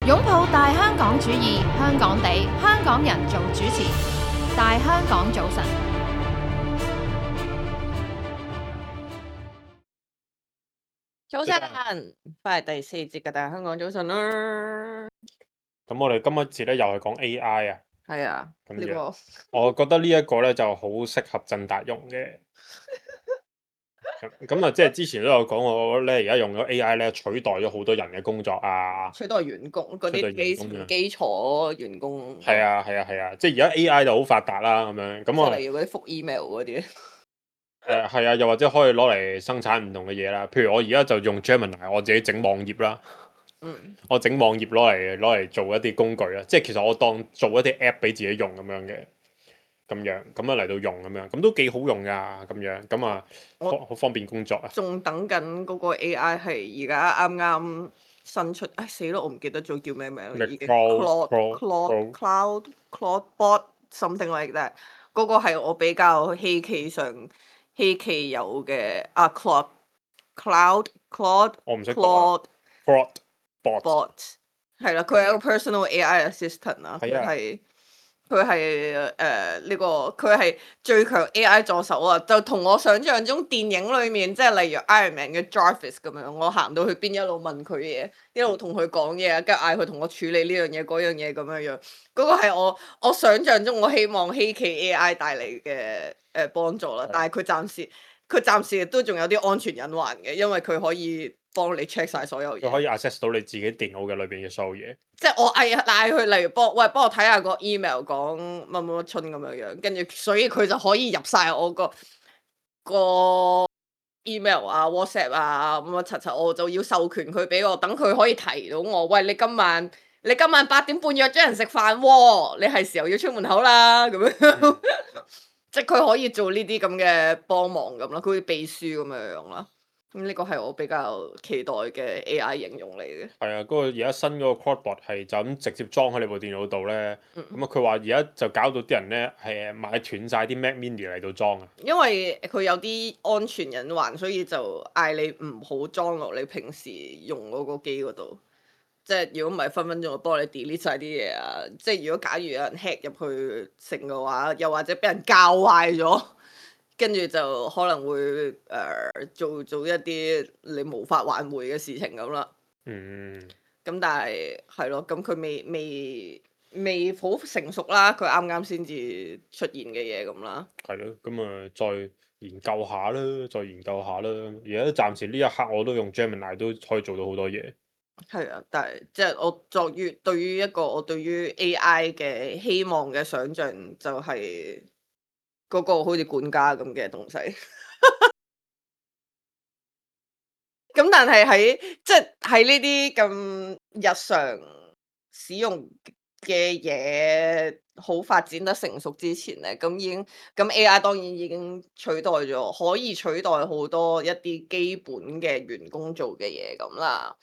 擁抱大香港主義，香港地，香港人做主持，大香港早晨。早晨，翻嚟第四節嘅大香港早晨啦。咁我哋今一節咧又係講 AI 啊，係啊，咁呢個我覺得呢一個咧就好適合振達用嘅。咁啊，即係之前都有講過咧，而家用咗 AI 咧取代咗好多人嘅工作啊。取代員工嗰啲基礎員工。係啊，即係而家 AI 就好發達啦，咁樣咁我例如嗰啲覆 email 嗰啲。係啊，又或者可以攞嚟生產唔同嘅嘢啦。譬如我而家就用 Gemini，我自己整網頁啦。我整網頁攞嚟做一啲工具啦，即係其實我當做一啲 app 俾自己用咁樣嘅，咁樣嚟到用咁樣，咁都幾好用噶，咁樣咁啊，好方便工作啊。仲等緊嗰個 AI 係而家啱啱新出，唉死咯，我唔記得咗叫咩名啦已經。Cloudbot something like that，嗰個係我比較希冀有嘅啊 Claude，我唔識講。Claude。係啦，佢係一個 personal AI assistant 啦，佢係呢個佢係最強 AI 助手啊！就同我想象中電影裏面即係例如 Iron Man 嘅 Jarvis 咁樣，我行到去邊一路問佢嘢，一路同佢講嘢，跟住嗌佢同我處理呢樣嘢嗰樣嘢咁樣樣。嗰個係我想象中我希望希冀 AI 帶嚟嘅幫助啦，但係佢暫時都仲有啲安全隱患嘅，因為佢可以幫你 check 晒所有嘢。佢可以 access 到你自己電腦嘅裏邊嘅所有嘢。即係我嗌佢，例如幫我睇下個 email 講乜乜乜春咁樣樣，跟住所以佢就可以入晒我個 email 啊 WhatsApp 啊乜乜柒柒，我就要授權佢俾我，等佢可以提到我。喂，你今晚8點半約咗人食飯喎，你係時候要出門口啦咁樣。即係佢可以做呢啲咁嘅幫忙咁啦，佢好似秘書咁樣樣啦。咁呢個係我比較期待嘅 AI 應用嚟嘅。係啊，嗰個而家新嗰個 Cloudbot 係就咁直接裝喺你部電腦度咧。咁啊，佢話而家就搞到啲人咧係買斷晒啲 Mac Mini 嚟到裝啊。因為佢有啲安全隱患，所以就嗌你唔好裝落你平時用嗰個機嗰度。即係如果唔係分分鐘會幫你 delete 晒啲嘢啊！即係如果假如有人 hack 入去成嘅話，又或者俾人教壞咗，跟住就可能會做一啲你無法挽回嘅事情咁啦。咁但係係咯，咁佢未好成熟啦，佢啱啱先至出現嘅嘢咁啦。係咯，咁啊再研究下啦。而家暫時呢一刻我都用 Gemini 都可以做到好多嘢。係啊，但係即係我對於一個我對於 AI 嘅希望嘅想像就係嗰個好似管家咁嘅東西。咁但係喺呢啲咁日常使用嘅嘢好發展得成熟之前咧，咁AI 當然已經取代咗，可以取代好多一啲基本嘅員工做嘅嘢咁啦。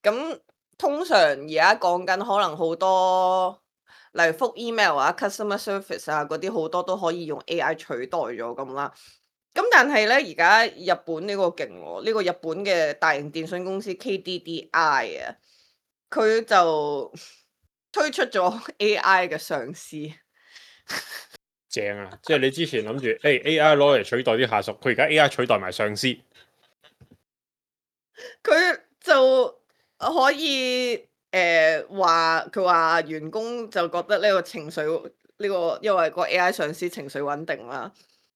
咁通常而家講緊可能好多，例如覆 email 啊、customer service 啊嗰啲好多都可以用 AI 取代咗咁啦。咁但係咧，而家日本呢個勁喎，呢個日本嘅大型電信公司 KDDI 啊，佢就推出咗 AI 嘅上司。正啊！即係你之前諗住AI 攞嚟取代啲下屬，佢而家 AI 取代埋上司。佢就可以佢話員工就覺得呢個情緒因為個 AI 上司情緒穩定啦，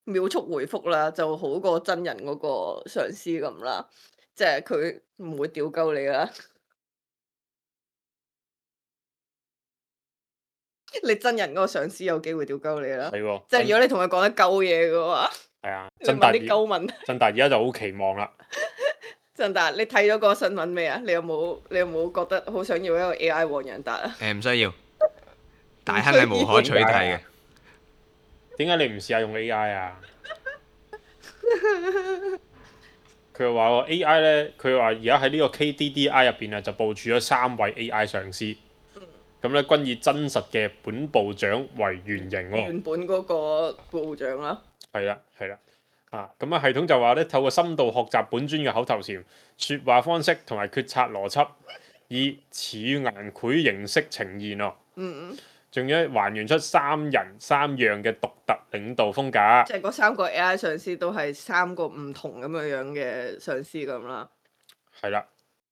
秒速回覆啦，就好過真人嗰個上司咁啦，即係佢唔會屌鳩你啦。你真人嗰個上司有機會屌鳩你啦，係喎。即係如果你同佢講得鳩嘢嘅話，係啊，你問啲鳩問題。振達而家就好期望啦。振達，你睇咗個新聞未啊？你有冇覺得好想要一個 AI 黃仁達啊？唔需要，大亨係無可取替嘅。點解你唔試下用 AI 啊？佢話個 AI 咧，佢話而家喺呢個 KDDI 入邊啊，就部署咗3位 AI 上司。咁咧，均以真實嘅本部長為原型喎。原本嗰個部長啦。係啦。咁啊，系統就話咧，透過深度學習本尊嘅口頭禪、説話方式同埋決策邏輯，而以似顏繪形式呈現喎。嗯，仲要還原出3人3樣嘅獨特領導風格。即係嗰3個 AI 上司都係3個唔同咁樣嘅上司咁啦。係啦，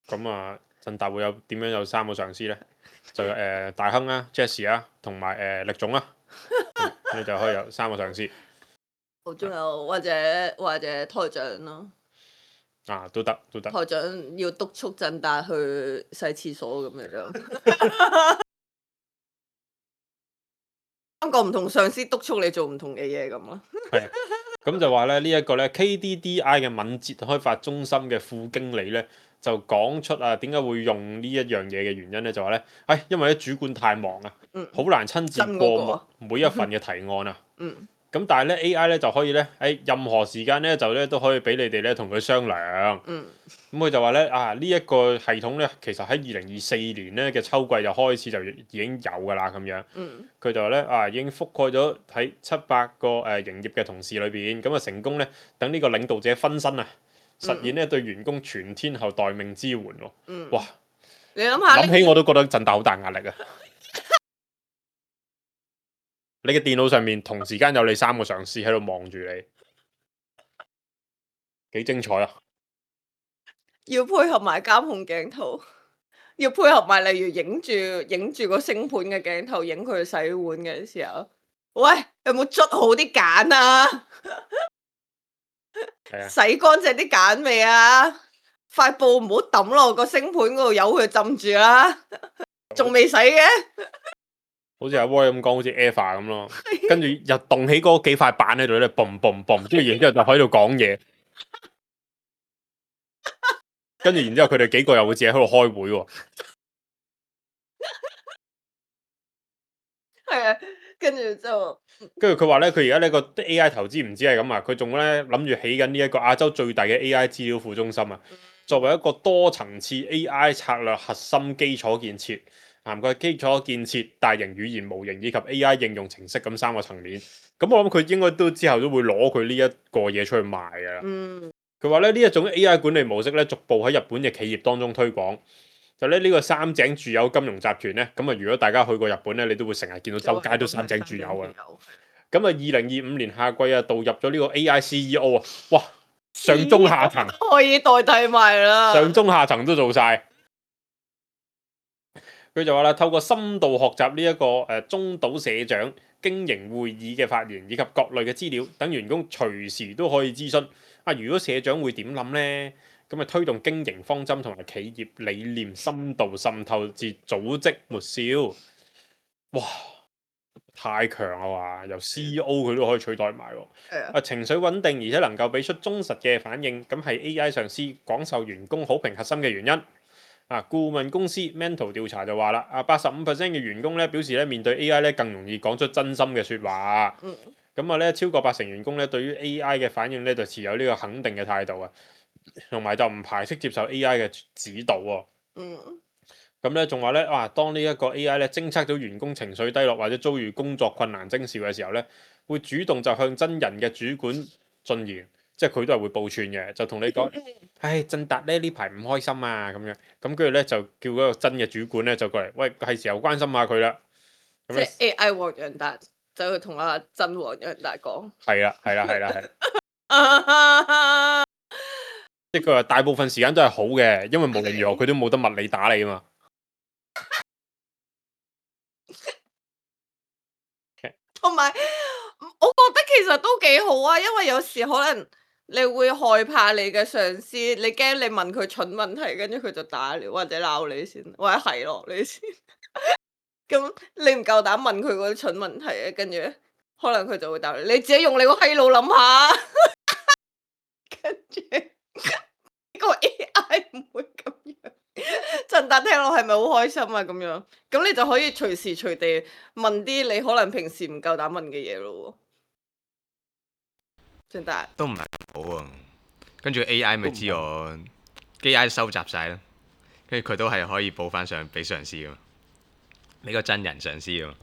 咁啊，振達會有點樣有3個上司呢？就大亨啦、Jessie 啦，同埋力總啦，你就可以有3個上司。仲有或者台長咯。啊，都得。台長要督促振達去洗廁所咁樣。3個唔同上司督促你做唔同嘅嘢咁咯。係，咁就話咧呢一個咧 KDDI 嘅敏捷開發中心嘅副經理咧，就講出啊點解會用呢一樣嘢嘅原因咧，就話咧，因為啲主管太忙啊，好難親自過每一份嘅提案啊。咁但係咧 AI 咧就可以咧喺任何時間咧就咧都可以俾你哋咧同佢商量。咁佢就話咧呢一個系統咧其實喺2024年咧嘅秋季就開始就已經有㗎啦咁樣。佢就話咧已經覆蓋咗喺700個營業嘅同事裏邊，咁啊成功咧等呢個領導者分身啊，實現咧對員工全天候待命支援喎。哇！你諗下，諗起我都覺得振達好大壓力啊！你嘅電腦上面同時間有你3個上司喺度望住你，幾精彩啊！要配合埋監控鏡頭，要配合埋例如影住個星盤嘅鏡頭，影佢洗碗嘅時候，喂，有冇捽好啲鹼啊？洗乾淨啲鹼未啊？塊布唔好抌落個星盤嗰度，由佢浸住啦。仲未洗嘅？好似阿 Roy 咁講，好似 Eva 咁咯，跟住又動起嗰幾塊板喺度咧，boom boom boom，跟住然之後就喺度講嘢，跟住然之後佢哋幾個又會自己喺度開會喎。係啊，跟住就跟住佢話咧，佢而家呢個 AI 投資唔止係咁啊，佢仲咧諗住起緊呢一個亞洲最大嘅 AI 資料庫中心啊，作為一個多層次 AI 策略核心基礎建設。涵蓋基礎建設、大型語言模型以及 AI 應用程式咁3個層面。咁我諗佢應該都之後都會攞佢呢一個嘢出去賣㗎啦。佢話咧呢一種 AI 管理模式咧，逐步喺日本嘅企業當中推廣。就咧呢個三井住友金融集團咧，咁啊如果大家去過日本咧，你都會成日見到周街都三井住友啊。咁啊2025年夏季啊，導入咗呢個 AI CEO 啊，哇，上中下層可以代替埋啦，上中下層都做晒。佢就話啦，透過深度學習呢一個中島社長經營會議嘅發言以及各類嘅資料，等員工隨時都可以諮詢。如果社長會點諗呢？咁啊推動經營方針同埋企業理念深度滲透至組織末梢。哇！太強啦話，由 CEO 佢都可以取代埋喎。情緒穩定而且能夠俾出忠實嘅反應，咁係 AI 上司廣受員工好評核心嘅原因。顧問公司 Mental 調查就話啦，85% 嘅員工咧表示咧面對 AI 咧更容易講出真心嘅説話。咁咧超過80%員工咧對於 AI 嘅反應咧就持有呢個肯定嘅態度啊，同埋就唔排斥接受 AI 嘅指導喎。咁咧仲話咧當呢一個 AI 咧偵測到員工情緒低落或者遭遇工作困難徵兆嘅時候咧，會主動就向真人嘅主管進言。即係佢都係會報串嘅，就同你講，振達咧呢排唔開心啊咁樣，咁跟住咧就叫嗰個真嘅主管咧就過嚟，喂，係時候關心下佢啦。即係 AI 黃洋達走去同阿真黃洋達講。係啦。即係佢話大部分時間都係好嘅，因為無論如何佢都冇得物理打你啊嘛。同埋，我覺得其實都幾好啊，因為有時可能你會害怕你嘅上司，你驚你問佢蠢問題，跟住佢就打你或者鬧你先，或者係落你先。咁你唔夠膽問佢嗰啲蠢問題啊，跟住可能佢就會答你，你自己用你個閪腦諗下。跟住個 AI 唔會咁樣。振達聽落係咪好開心啊？咁樣，咁你就可以隨時隨地問啲你可能平時唔夠膽問嘅嘢咯。振達都唔係咁好啊，跟住 AI 咪知我 AI 收集晒咯，跟住佢都係可以報翻上俾上司噶嘛，俾個真人上司噶嘛。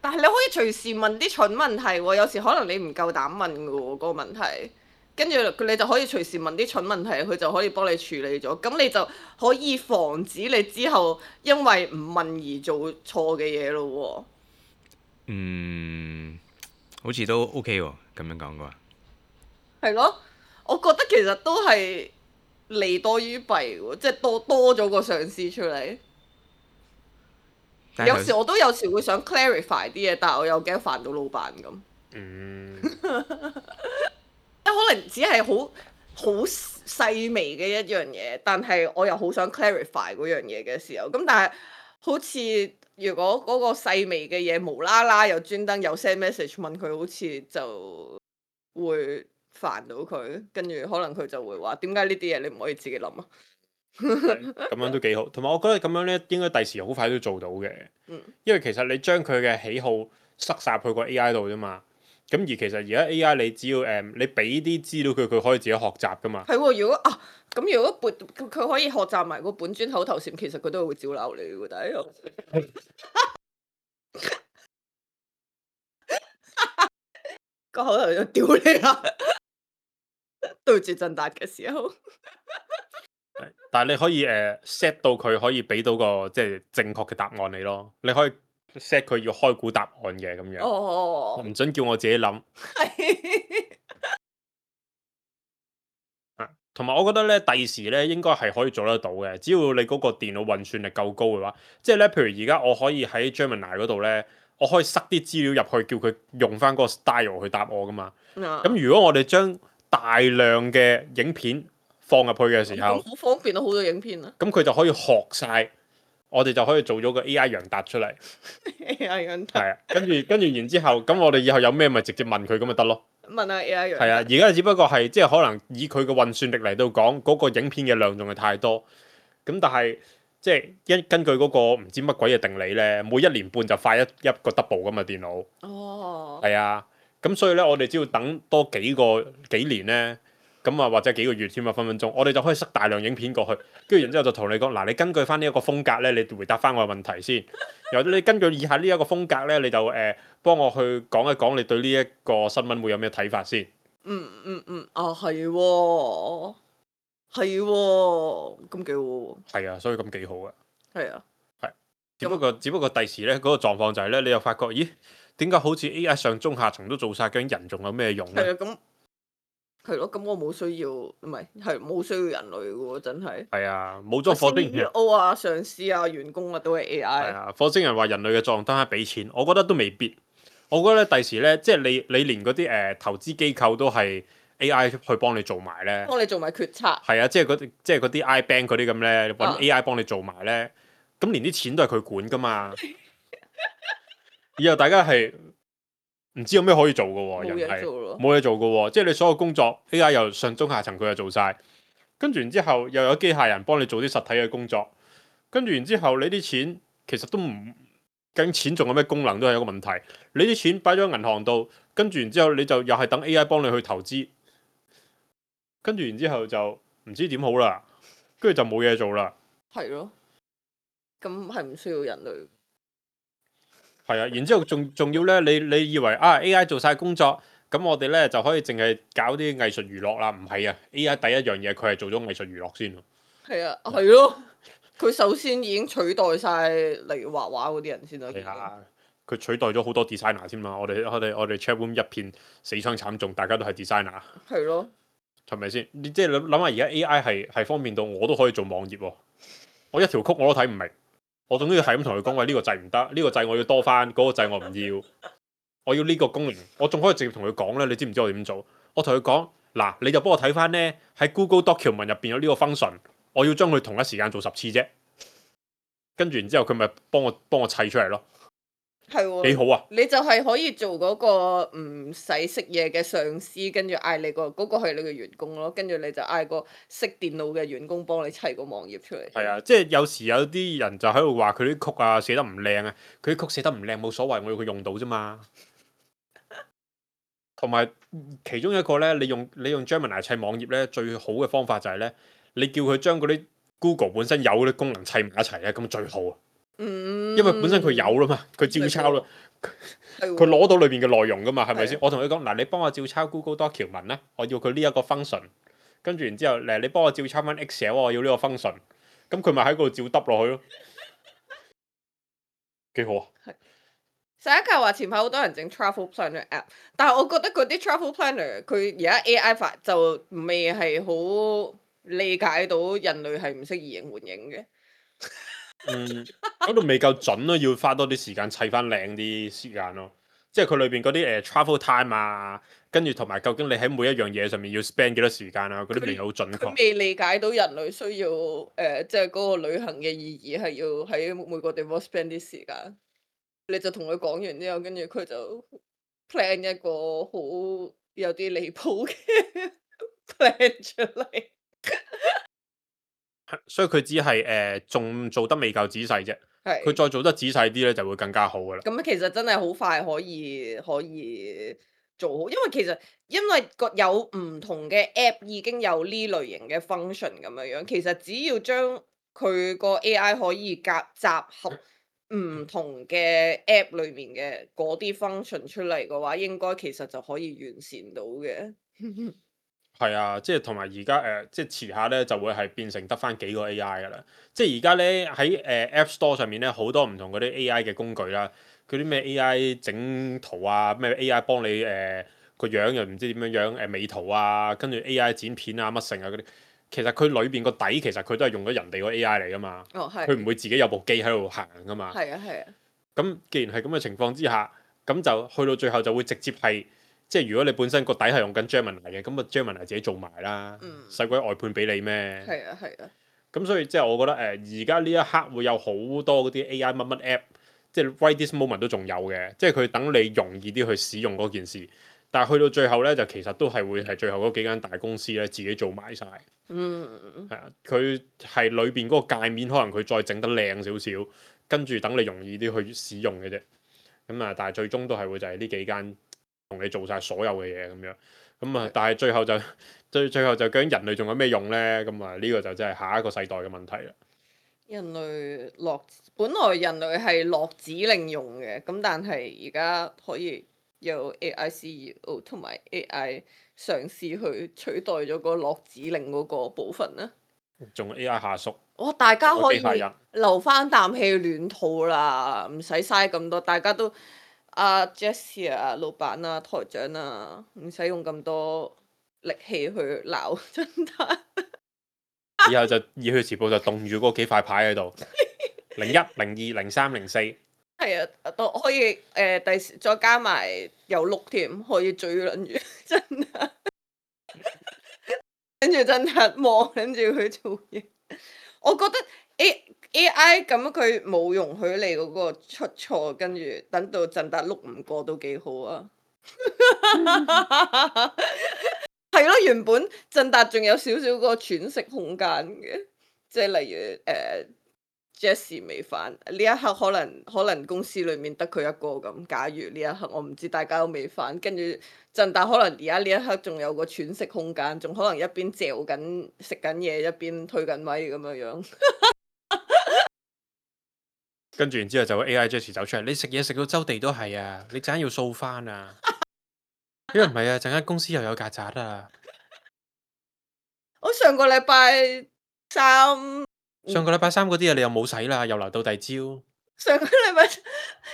但係你可以隨時問啲蠢問題喎，有時可能你唔夠膽問噶喎，嗰個問題，跟住你就可以隨時問啲蠢問題，佢就可以幫你處理咗。咁你就可以防止你之後因為唔問而做錯嘅嘢咯好似都 OK 喎，咁樣講嘅話。係咯，我覺得其實都係利多於弊喎，即係多咗個上司出嚟。但係有時我都有時會想 clarify 啲嘢，但係我又驚煩到老闆咁。可能只係好細微嘅一樣嘢，但係我又好想 clarify 嗰樣嘢嘅時候，咁但係好似如果嗰個細微嘅嘢無啦啦又專登有 send message 問佢，好似就會煩到佢，跟住可能佢就會話點解呢啲嘢你唔可以自己諗啊？咁樣都幾好，同埋我覺得咁樣咧應該第時好快都做到嘅，因為其實你將佢嘅喜好塞晒入去個 AI 度啫嘛。咁而其實而家 AI 你只要你俾啲資料佢，佢可以自己學習噶嘛。係喎，如果佢可以學習埋個本尊口頭禪，其實佢都會照鬧你嘅，但係個口頭就屌你啦，對住振達嘅時候。但係你可以set 到佢可以俾到個即係正確嘅答案你咯。你可以 set 佢要開估答案嘅咁樣，哦，唔准叫我自己諗。同埋我覺得咧，第時咧應該係可以做得到嘅，只要你嗰個電腦運算力夠高嘅話，即係咧，譬如而家我可以喺 Gemini 嗰度咧，我可以塞啲資料入去，叫佢用翻嗰個 style 去答我噶嘛。咁如果我哋將大量嘅影片放入去嘅時候，好方便啊，好多影片啊。咁佢就可以學晒，我哋就可以做咗個 AI 楊達出嚟。AI 楊達。係啊，跟住然之後，咁我哋以後有咩咪直接問佢咁咪得咯。問下 AI 楊達。係啊，而家只不過係即係可能以佢嘅運算力嚟到講，嗰個影片嘅量仲係太多。咁但係即係根據嗰個唔知乜鬼嘅定理咧，每1年半就快一個 double 噶嘛電腦。哦。係啊，咁所以咧，我哋只要等多幾年咧。咁啊，或者幾個月添啊，分分鐘，我哋就可以塞大量影片過去，跟住然之後就同你講，嗱，你根據翻呢一個風格咧，你回答翻我嘅問題先，又或者你根據以下呢一個風格咧，你就幫我去講一講你對呢一個新聞會有咩睇法先。係喎，係喎，咁幾好喎。係啊，所以咁幾好嘅。係啊。係。只不過第時咧嗰個狀況就係咧，你又發覺，咦，點解好似 AI 上中下層都做晒，究竟人仲有咩用咧？係啊，咁。係咯，咁我冇需要，唔係冇需要人類嘅喎，真係。係啊，冇咗火星人。CEO 啊、上司啊、員工啊，都係 AI。係啊，火星人話人類嘅作用單係俾錢，我覺得都未必。我覺得咧，第時咧，即係你連嗰啲投資機構都係 AI 去幫你做埋咧。幫你做埋決策。係啊，即係嗰啲 iBank 嗰啲咁咧，揾 AI 幫你做埋咧，咁連啲錢都係佢管噶嘛。以後大家係。唔知有咩可以做嘅喎，人係冇嘢做嘅喎，即係你所有工作 AI 又上中下層佢又做晒，跟住然之後又有機械人幫你做啲實體嘅工作，跟住然之後你啲錢其實都唔，究竟錢仲有咩功能都係一個問題。你啲錢擺咗喺銀行度，跟住然之後你就又係等 AI 幫你去投資，跟住然之後就唔知點好啦，跟住就冇嘢做啦。係咯，咁係唔需要人類。係啊，然之後仲要咧，你以為啊 AI 做晒工作，咁我哋咧就可以淨係搞啲藝術娛樂啦？唔係啊 ，AI 第一樣嘢佢係做咗藝術娛樂先。係啊，係咯，佢首先已經取代晒例如畫畫嗰啲人先啦。係啊，佢取代咗好多 designer 先嘛。我哋 chatroom 一片死傷慘重，大家都係 designer。係咯，係咪先？你即係諗下，而家 AI 係方便到我都可以做網頁喎，我一條曲我都睇唔明。我總之係咁同佢講，喂，呢個掣唔得，呢個掣我要多翻，嗰個掣我唔要，我要呢個功能，我仲可以直接同佢講咧。你知唔知我點做？我同佢講，嗱，你就幫我睇翻咧，喺 Google Document 入邊有呢個 function，我要將佢同一時間做10次啫。跟住然之後佢咪幫我砌出嚟咯。係喎，幾好啊！你就係可以做嗰個唔使識嘢嘅上司，跟住嗌你嗰個係你嘅員工咯，跟住你就嗌個識電腦嘅員工幫你砌個網頁出嚟。係啊，即係有時有啲人就喺度話佢啲曲啊寫得唔靚啊，佢啲曲寫得唔靚冇所謂，我要佢用到啫嘛。同埋其中一個咧，你用 Gemini 砌網頁咧，最好嘅方法就係咧，你叫佢將嗰啲 Google 本身有嗰啲功能砌埋一齊咧，咁最好啊。因為本身佢有啦嘛，佢照抄啦。佢攞到裏邊嘅內容噶嘛，係咪係先？我同佢講嗱，你幫我照抄 Google Doc 條文咧，我要佢呢一個 function，跟住然之後你幫我照抄翻 Excel，我要呢個 function，咁佢咪喺嗰度照揼落去咯，幾好啊！上一屆話前排好多人整 travel planner app，但係我覺得嗰啲 travel planner 佢而家 AI 法就未係好理解到人類係唔識移形換影嘅。嗰度未夠準咯，要花多啲時間砌翻靚啲時間咯。即係佢裏邊嗰啲travel time 啊，跟住同埋究竟你喺每一樣嘢上面要 spend 幾多時間啊，嗰啲未好準佢確。未理解到人類需要即係嗰個旅行嘅意義係要喺每個地方 spend 啲時間。你就同佢講完之後，跟住佢就 plan 一個好有啲離譜嘅 plan 出嚟。所以佢只係仲做得未夠仔細啫。佢係。再做得仔細啲咧，就會更加好噶啦。咁其實真係好快可以做好，因為有唔同嘅 app 已經有呢類型嘅 function 咁樣，其實只要將佢個 AI 可以集合唔同嘅 app 裏面嘅嗰啲 function 出嚟嘅話，應該其實就可以完善到嘅。係啊，即係同埋而家即係遲下咧就會係變成得翻幾個 AI 噶啦。即係而家咧喺App Store 上面咧好多唔同嗰啲 AI 嘅工具啦，嗰啲咩 AI 整圖啊，咩 AI 幫你個樣又唔知點樣美圖啊，跟住 AI 剪片啊乜成啊嗰啲，其實佢裏邊個底其實佢都係用咗人哋個 AI 嚟噶嘛。哦，係。佢唔會自己有部機喺度行噶嘛。係啊，係啊。咁既然係咁嘅情況之下，咁就去到最後就會直接係。即係如果你本身個底係用緊 Gemini 嘅，咁啊 Gemini 自己做埋啦，使鬼外判俾你咩？係啊，係啊。咁所以即係我覺得而家呢一刻會有好多嗰啲 AI 乜乜 app，即係 right this moment 都仲有嘅，即係佢等你容易啲去使用嗰件事。但係去到最後咧，就其實都係會係最後嗰幾間大公司咧自己做埋晒。係啊，佢係裏邊嗰個界面可能佢再整得靚少少，跟住等你容易啲去使用嘅啫。咁啊，但係最終都係會就係呢幾間。同你做晒所有嘅嘢咁樣，咁啊，但係最後就究竟人類仲有咩用咧？咁啊，呢個就真係下一個世代嘅問題啦。本來人類係落指令用嘅，咁但係而家可以有 AI CEO 同埋 AI 嘗試去取代咗個落指令嗰個部分啦。仲有 AI 下屬。哇！大家可以機械人留翻啖氣暖肚啦，唔使嘥咁多，大家都。阿 Jessie 啊，老闆啊，台長啊，唔使用咁多力氣去鬧真係。以後就熱血時報就凍住嗰幾塊牌喺度，01、02、03、04。係啊，都可以第時再加埋有碌添，可以追撚住真係。跟住真係望跟住佢做嘢，我覺得AI 咁佢冇容許你嗰個出錯，跟住等到振達碌唔過都幾好啊！係咯，原本振達仲有少少個喘息空間嘅，即係例如Jessie 未返呢一刻，可能公司裏面得佢一個咁。假如呢一刻我唔知大家都未返，跟住振達可能而家呢一刻仲有個喘息空間，仲可能一邊嚼緊食緊嘢，一邊推緊咪咁樣。跟住然之後就 AI Jessie 走出嚟，你食嘢食到周地都係啊！你陣間要掃翻啊！因為唔係啊，陣間公司又有曱甴啊！我上個禮拜三嗰啲啊，你又冇洗啦，又留到第二朝。上個禮拜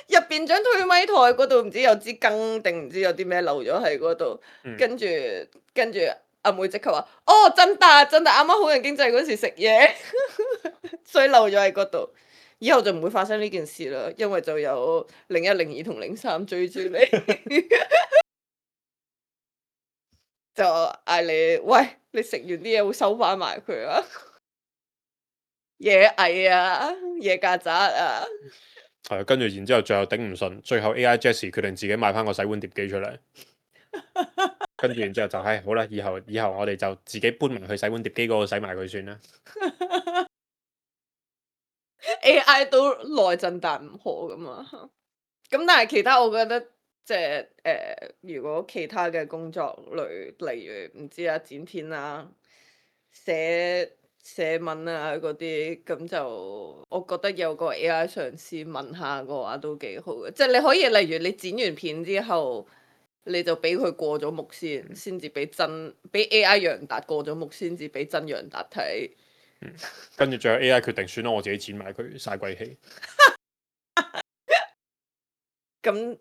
入邊張推咪台嗰度唔知有支羹定唔知有啲咩漏咗喺嗰度，跟住阿妹即刻話：哦，振達啱啱好人經濟嗰時食嘢，所以漏咗喺嗰度。以後就唔會發生呢件事啦，因為就有01、02同03追住你，就嗌你喂，你食完啲嘢會收翻埋佢啊！野蟻啊，野曱甴啊！係，跟住然之後最後頂唔順，最後 AI Jessie 決定自己買翻個洗碗碟機出嚟，跟住然之後就好啦，以後我哋就自己搬埋去洗碗碟機嗰度洗埋佢算啦。AI 都內震但唔可㗎嘛，咁但係其他我覺得即係如果其他嘅工作類，例如唔知啊剪片啊、寫寫文啊嗰啲，咁就我覺得有個 AI 上司問下嘅話都幾好嘅，即係你可以例如你剪完片之後，你就俾佢過咗目先至俾AI 楊達過咗目先至俾真楊達睇。跟住最後 AI 決定算啦，我自己剪埋佢，嘥鬼氣。咁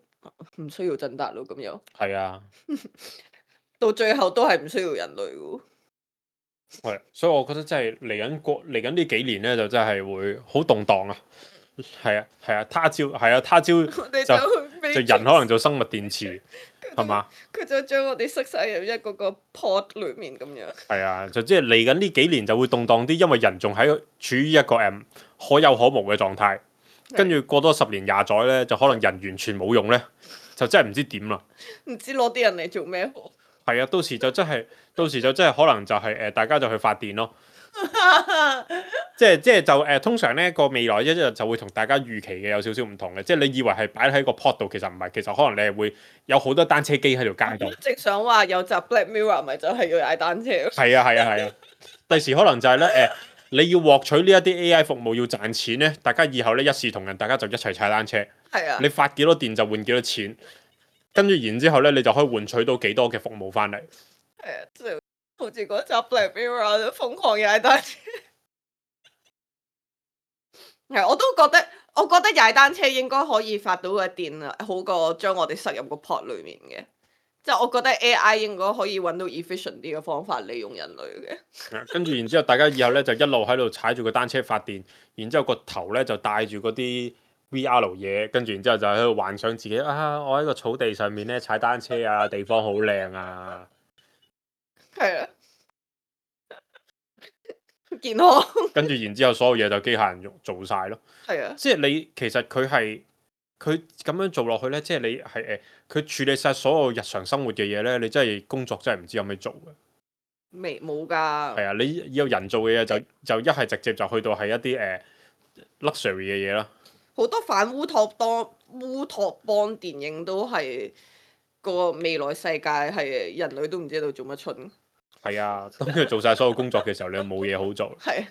唔需要真達咯，咁又係啊，到最後都係唔需要人類喎。係，所以我覺得真係嚟緊呢幾年咧，就真係會好動盪啊！係啊，係啊，他朝我哋就人可能做生物電池，係嘛？佢就將我哋塞晒入一個 pod 裡面咁樣。係啊，就即係嚟緊呢幾年就會動盪啲，因為人仲喺處於一個可有可無嘅狀態，跟住過多10年20載咧，就可能人完全冇用咧，就真係唔知點啦。唔知攞啲人嚟做咩好？係啊，到時就真係可能就係大家就去發電咯。即係就通常咧個未來一日就會同大家預期嘅有少少唔同嘅，即係你以為係擺喺個 pod 度，其實唔係，其實可能你係會有好多單車機喺條街度。直想話有集 Black Mirror 咪就係要踩單車咯。係啊，第時可能就係咧你要獲取呢一啲 AI 服務要賺錢咧，大家以後咧一視同仁，大家就一齊踩單車。係啊，你發幾多電就換幾多錢，跟住然之後咧你就可以換取到幾多嘅服務翻嚟。係啊，即係好似嗰集 Black Mirror 都瘋狂踩單車。係，我覺得踩單車應該可以發到嘅電啊，好過將我哋塞入個 pod 裡面嘅。即係我覺得 AI 應該可以揾到 efficient 啲嘅方法利用人類嘅。跟住然之後，大家以後咧就一路喺度踩住個單車發電，然之後個頭咧就戴住嗰啲 VR 嘢，跟住然之後就喺度幻想自己啊，我喺個草地上面咧踩單車啊，地方好靚啊。係啊，健康。跟住然之後，所有嘢就機械人做晒咯。係啊，即係你其實佢咁樣做落去咧，即係你係佢處理晒所有日常生活嘅嘢咧，你真係工作真係唔知有咩做嘅。冇㗎。係啊，你有人做嘅嘢就一係直接就去到係一啲luxury 嘅嘢啦。好多反烏托邦電影都係個未來世界係人類都唔知道做乜春。係啊，當佢做晒所有工作嘅時候，你又冇嘢好做。係。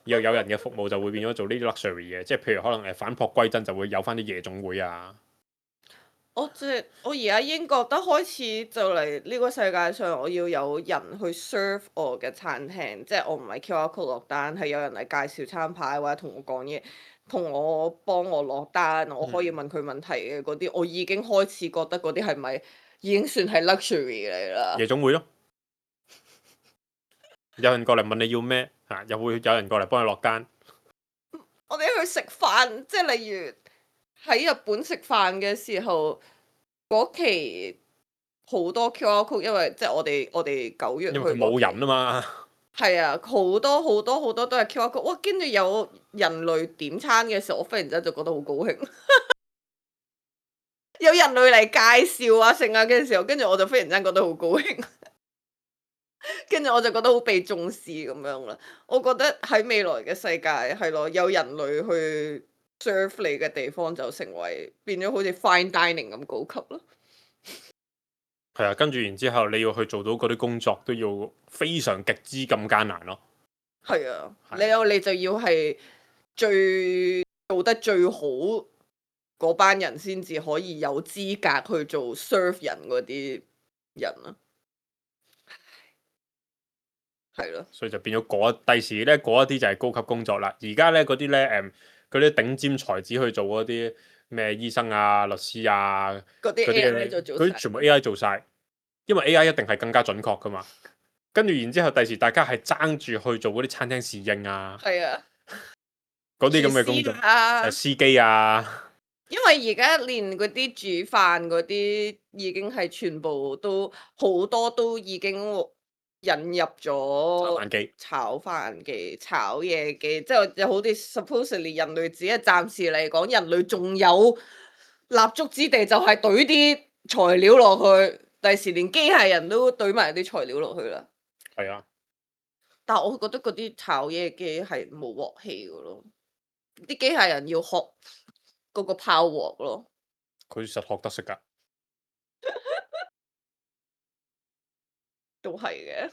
又有人嘅服務就會變咗做呢啲 luxury 嘅，即係譬如可能反璞歸真就會有翻啲夜總會啊。我而家已經覺得開始就嚟呢個世界上，我要有人去 serve 我嘅餐廳，即係我唔係 QR code 落單，係有人嚟介紹餐牌或者同我講嘢，幫我落單，我可以問佢問題嘅嗰啲，我已經開始覺得嗰啲係咪已經算係 luxury 嚟啦？夜總會咯，有人過嚟問你要咩嚇，又會有人過嚟幫你落單。我哋去食飯，即係例如喺日本食飯嘅時候，嗰期好多 QR code，因為即係我哋9月去因為佢冇人啊嘛。係啊，好多好多好多都係 QR code，哇！跟住有人類點餐嘅時候，我忽然之間就覺得好高興。有人類嚟介紹啊剩啊嘅時候，跟住我就忽然之間覺得好高興。跟住我就覺得好被重視咁樣啦。我覺得喺未來嘅世界係咯，有人類去 serve 你嘅地方就成為變咗好似 fine dining 咁高級咯。係啊，跟住然之後你要去做到嗰啲工作都要非常極之咁艱難咯。係啊，係你就要係做得最好嗰班人先至可以有資格去做 serve 人嗰啲人啊。係咯，所以就變咗第時咧嗰一啲就係高級工作啦。而家咧嗰啲咧嗰啲頂尖才子去做嗰啲咩醫生啊、律師啊嗰啲 AI 就做晒。嗰啲全部 AI 做晒，因為 AI 一定係更加準確噶嘛。跟住然之後，第時大家係爭住去做嗰啲餐廳侍應啊，係啊，嗰啲咁嘅工作，司機啊。因為而家連嗰啲煮飯嗰啲已經係全部都好多都已經引入咗炒飯機、炒嘢機，即係就好似 supposedly 人類只係暫時嚟講，人類仲有立足之地，就係懟啲材料落去，第時連機械人都懟埋啲材料落去啦。係啊，但係我覺得嗰啲炒嘢機係冇鑊氣噶咯，啲機械人要學嗰個炮鑊咯。佢實學得識㗎。都係嘅。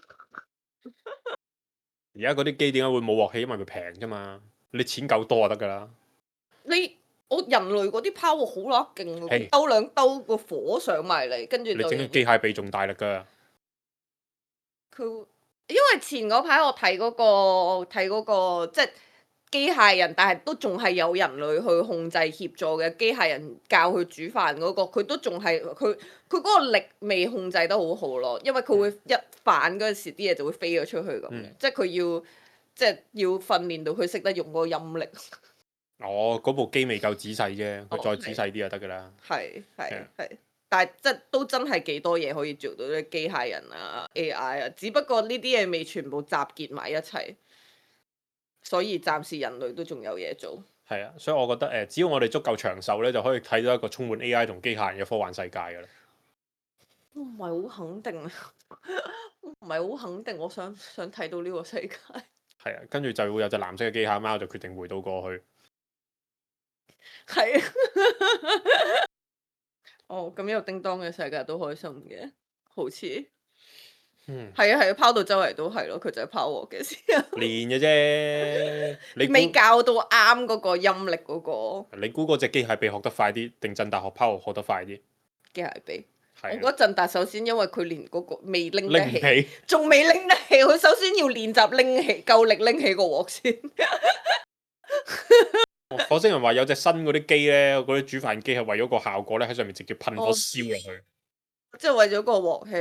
而家嗰啲機點解會冇鑊氣？因為佢平啫嘛，你錢夠多就得㗎啦。我人類嗰啲 power 好乸勁喎，係兜兩兜個火上埋嚟，跟住你就整機械臂仲大力㗎。佢，因為前嗰排我睇嗰個即係機械人，但係都仲係有人類去控制協助嘅機械人教佢煮飯嗰個，佢都仲係佢嗰個力未控制得好好咯，因為佢會一反嗰陣時啲嘢就會飛咗出去咁樣，即係佢要訓練到佢識得用嗰個音力。嗰部機未夠仔細啫，佢再仔細啲就得㗎啦。係，但係即係都真係幾多嘢可以做到啲機械人啊、AI 啊，只不過呢啲嘢未全部集結埋一齊，所以暫時人類都仲有嘢做。係啊，所以我覺得只要我哋足夠長壽咧，就可以睇到一個充滿 AI 同機械人嘅科幻世界㗎啦。我唔係好肯定啊，唔係好肯定，我想睇到呢個世界。係啊，跟住就會有隻藍色嘅機械貓就決定回到過去。係啊，哦，咁有叮當嘅世界都開心嘅，好似，係啊，拋到周圍都係咯，佢就係拋鑊嘅時候練嘅啫，你未教到啱嗰個音力嗰個。你估嗰隻機械臂學得快啲，定震達學拋鑊學得快啲？機械臂，係啊我覺得震達首先因為佢連嗰個未拎得拎唔起，起，仲未拎得起，佢首先要練習拎起，夠力拎起個鑊先。火星人話有隻新嗰啲機咧，嗰啲煮飯機係為咗個效果咧，喺上面直接噴火燒落去。即係為咗個鑊氣，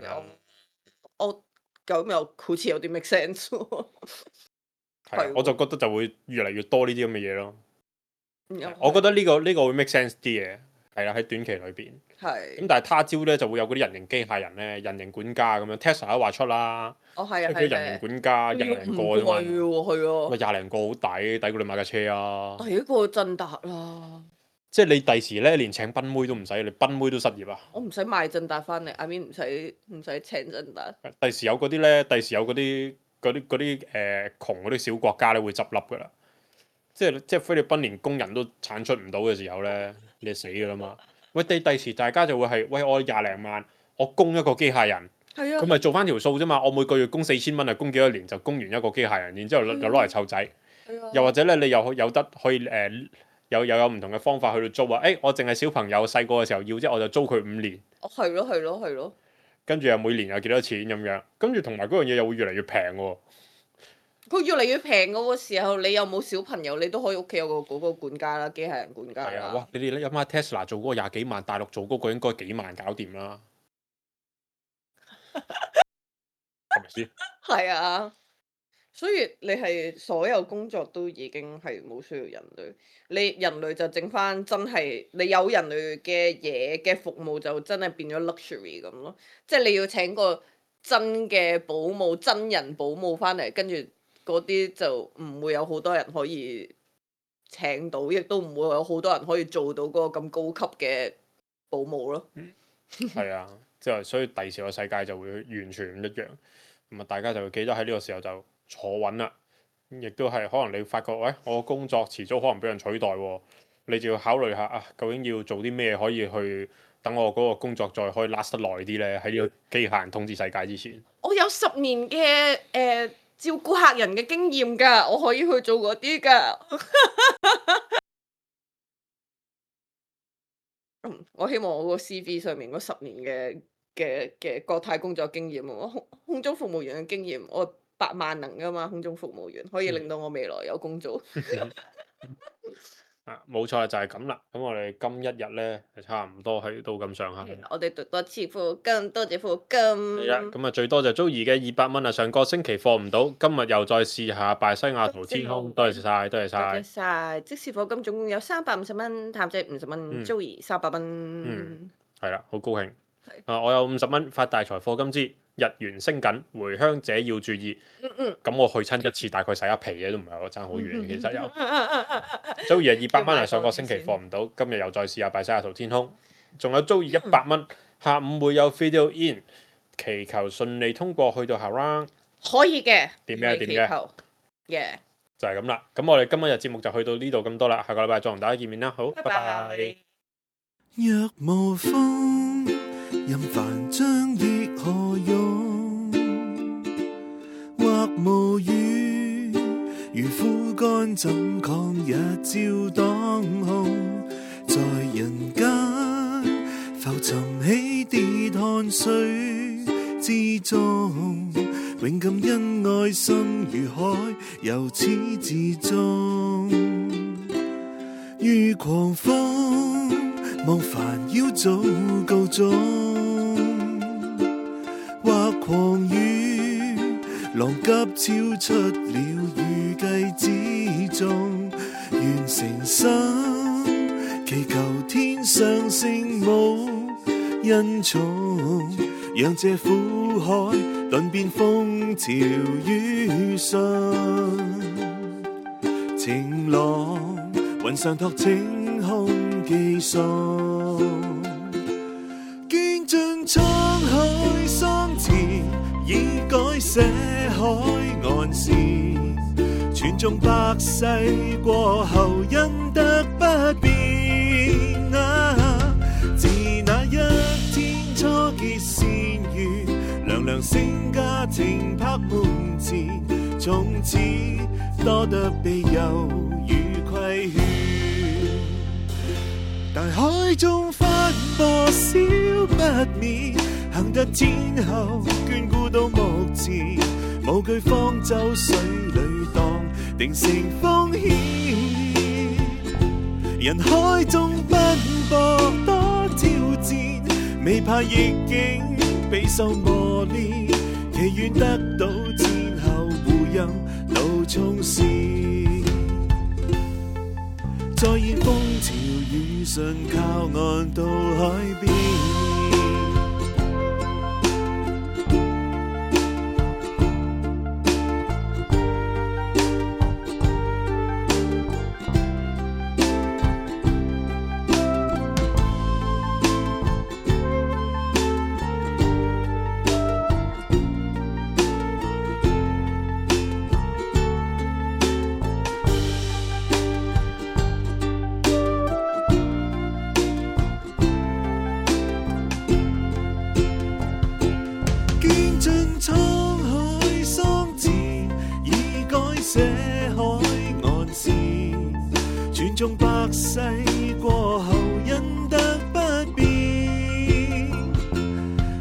嗯我咁又好似有啲 make sense 喎。係啊，我就覺得就會越嚟越多呢啲咁嘅嘢咯。又我覺得呢個會 make sense 啲嘅，係啦，喺短期裏邊。係咁但係他朝咧就會有嗰啲人形機械人咧，人形管家咁樣 Tesla 都話出啦，哦係啊即係佢人形管家廿零個啫嘛，係啊，咪廿零個好抵過你買架車啊！第一個震達啦，即係你第時咧連請賓妹都唔使，你賓妹都失業啊！我唔使買震達翻嚟，I mean 唔使請震達。第時有嗰啲咧，第時有嗰啲窮嗰啲小國家咧會執笠噶啦，即係菲律賓連工人都產出唔到嘅時候咧，你就死噶啦嘛！喂，第時大家就會係喂我廿零萬，我供一個機械人，係啊，佢咪做翻條數啫嘛！我每個月供4000蚊啊，供幾多年就供完一個機械人，然之後就攞嚟湊仔。又或者咧，你又有得可以有唔同嘅方法去到租啊！我淨係小朋友細個嘅時候要啫，我就租佢5年。哦，係咯。跟住又每年有幾多錢咁樣，跟住同埋嗰樣嘢又會越嚟越平喎。佢越嚟越平嗰個時候，你有冇小朋友，你都可以屋企有個嗰個管家啦，機械人管家係啊，啦。哇！你哋諗下 Tesla 做嗰個廿幾萬，大陸做嗰個應該幾萬搞掂啦，係咪先？係啊，所以你係所有工作都已經係冇需要人類，你人類就剩翻真係你有人類嘅嘢嘅服務就真係變咗 luxury 咁咯，即係你要請個真嘅保姆、真人保姆翻嚟，跟住嗰啲就唔會有好多人可以請到，亦都唔會有好多人可以做到嗰個咁高級嘅保姆咯。係啊，即係所以第時個世界就會完全唔一樣。咁啊，大家就會記得喺呢個時候就坐穩啦。亦都係可能你發覺，喂，我工作遲早可能俾人取代喎，你就要考慮下啊，究竟要做啲咩可以去等我嗰個工作再可以 last 得耐啲呢？喺呢個機械人統治世界之前，我有10年嘅照顧客人嘅經驗㗎，我可以去做嗰啲㗎。我希望我個 CV 上面嗰10年嘅國泰工作經驗，我空中服務員嘅經驗，我百萬能㗎嘛，空中服務員可以令到我未來有工做。冇錯就係咁啦。咁我哋今一日呢，就差唔多去到咁上下。我哋多次課金，多謝課金。係啦，咁啊最多就 Joey 嘅200蚊啊，上個星期課唔到，今日又再試下拜西雅圖天空，多謝晒，多謝多謝晒。晒，即時課金總共有350蚊，譚姐50蚊，Joey 300蚊。係啦，好高興。我有50蚊發大財課金之日元升緊，回鄉者要注意。咁我去親一次大概洗一皮嘅都唔係我爭好遠，其實有。Joey 200蚊啊，上個星期課唔到，今日又再試下拜西雅圖天空。仲有 Joey 100蚊，下午會有 video in，祈求順利通過去到下 round。可以嘅。點嘅？就係咁啦。咁我哋今日節目就去到呢度咁多啦，下個禮拜再同大家見面啦。好，拜拜。若無風，任帆張亦何用？或無語。肝怎抗日照當空，在人間浮沉起跌汗水之中，永感恩愛心如海，由始至終。於狂風望煩擾早告終，或狂雨浪急超出了預計之中，願誠心祈求天上聖母恩寵，讓這苦海頓變風潮雨順，晴朗雲上托晴空寄送，經盡滄海桑田，已改寫海岸線，傳頌百世過後恩德不變啊！自那一天初結善緣，娘娘聖家庭拍門前，從此多得庇佑與規勸。大海中翻波燒不滅，幸得天后眷顧到目前，無懼方舟水裏蕩，定成風險。人海中奔波多挑戰，未怕逆境備受磨練，祈願得到天后護蔭到衝線。再現風潮雨順，靠岸到海邊。中百世過後恩德不變，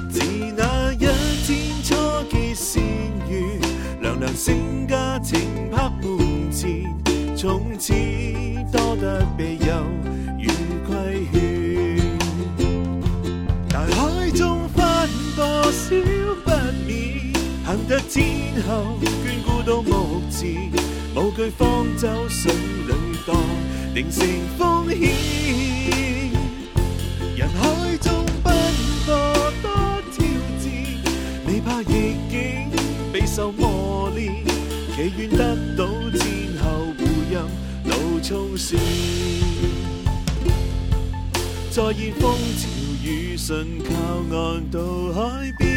自那一天初結善緣，娘娘聖家庭拍門前，從此多得庇佑與規勸。大海中翻波燒不滅，幸得天后眷顧到目前，無懼方舟水裏蕩，定成風險。人海中奔波多挑戰，未怕逆境備受磨練，祈願得到天后護蔭路衝線。再現風潮雨順，靠岸到海邊。